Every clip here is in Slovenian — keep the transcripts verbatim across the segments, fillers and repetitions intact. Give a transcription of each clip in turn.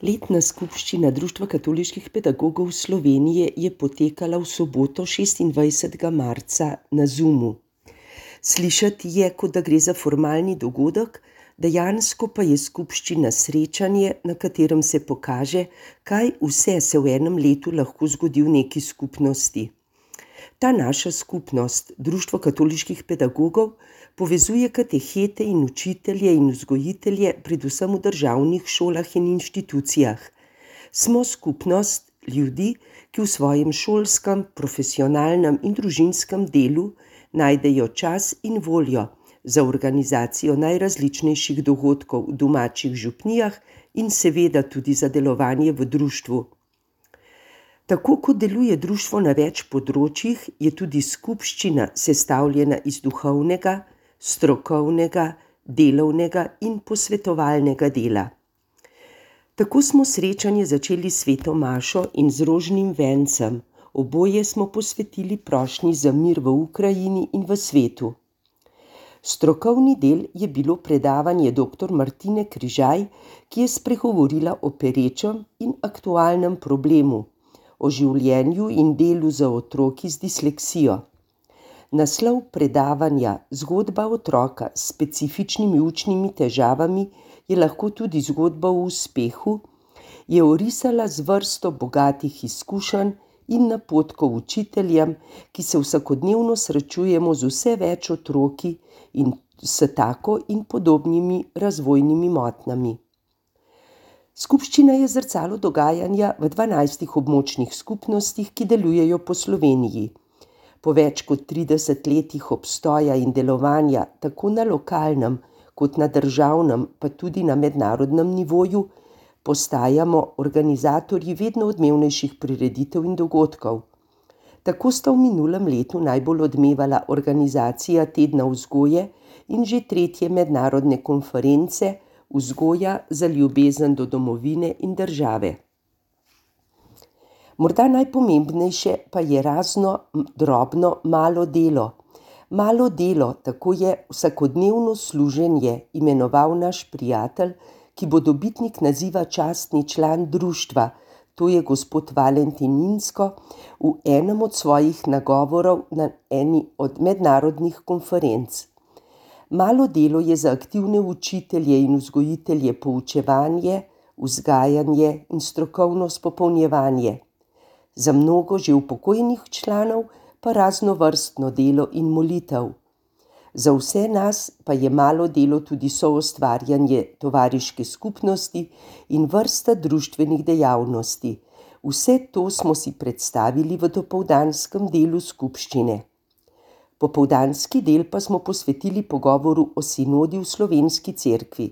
Letna skupščina Društva katoliških pedagogov Slovenije je potekala v soboto, šestindvajsetega marca, na Zoomu. Slišati je, kot da gre za formalni dogodek, dejansko pa je skupščina srečanje, na katerem se pokaže, kaj vse se v enem letu lahko zgodi v neki skupnosti. Ta naša skupnost, Društvo katoliških pedagogov, povezuje katehete in učitelje in vzgojitelje predvsem v državnih šolah in inštitucijah. Smo skupnost ljudi, ki v svojem šolskem, profesionalnem in družinskem delu najdejo čas in voljo za organizacijo najrazličnejših dogodkov v domačih župnijah in seveda tudi za delovanje v društvu. Tako kot deluje društvo na več področjih, je tudi skupščina sestavljena iz duhovnega, strokovnega, delovnega in posvetovalnega dela. Tako smo srečanje začeli s sveto mašo in z rožnim vencem. Oboje smo posvetili prošnji za mir v Ukrajini in v svetu. Strokovni del je bilo predavanje doktor Martine Križaj, ki je spregovorila o perečem in aktualnem problemu, o življenju in delu za otroki z disleksijo. Naslov predavanja Zgodba otroka s specifičnimi učnimi težavami je lahko tudi zgodba o uspehu, je orisala z vrsto bogatih izkušenj in napotkov učiteljem, ki se vsakodnevno srečujemo z vse več otroki in s tako in podobnimi razvojnimi motnjami. Skupščina je zrcalo dogajanja v dvanajstih območnih skupnostih, ki delujejo po Sloveniji. Po več kot trideset letih obstoja in delovanja tako na lokalnem kot na državnem, pa tudi na mednarodnem nivoju, postajamo organizatorji vedno odmevnejših prireditev in dogodkov. Tako sta v minulem letu najbolj odmevala organizacija Tedna vzgoje in že tretje mednarodne konference Vzgoja za ljubezen do domovine in države. Morda najpomembnejše pa je razno drobno malo delo. Malo delo, tako je vsakodnevno služenje imenoval naš prijatelj, ki bo dobitnik naziva častni član društva, to je gospod Valentin Insko, v enem od svojih nagovorov na eni od mednarodnih konferenc. Malo delo je za aktivne učitelje in vzgojitelje poučevanje, vzgajanje in strokovno spopolnjevanje. Za mnogo že upokojenih članov pa raznovrstno delo in molitev. Za vse nas pa je malo delo tudi soustvarjanje tovariške skupnosti in vrsta društvenih dejavnosti. Vse to smo si predstavili v dopoldanskem delu skupščine. Popoldanski del pa smo posvetili pogovoru o sinodi v Slovenski cerkvi.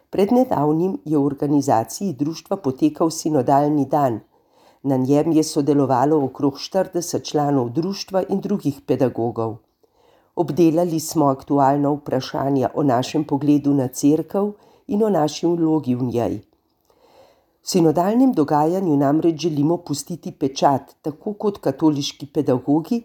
Pred nedavnim je v organizaciji društva potekal sinodalni dan. Na njem je sodelovalo okrog štirideset članov društva in drugih pedagogov. Obdelali smo aktualna vprašanja o našem pogledu na cerkev in o naši vlogi v njej. V sinodalnem dogajanju namreč želimo pustiti pečat, tako kot katoliški pedagogi,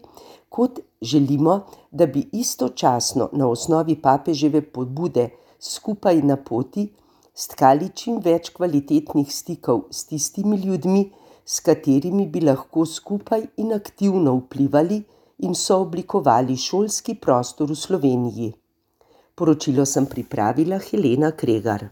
kot želimo, da bi istočasno na osnovi papeževe pobude skupaj na poti stkali čim več kvalitetnih stikov s tistimi ljudmi, s katerimi bi lahko skupaj in aktivno vplivali in sooblikovali šolski prostor v Sloveniji. Poročilo sem pripravila Helena Kregar.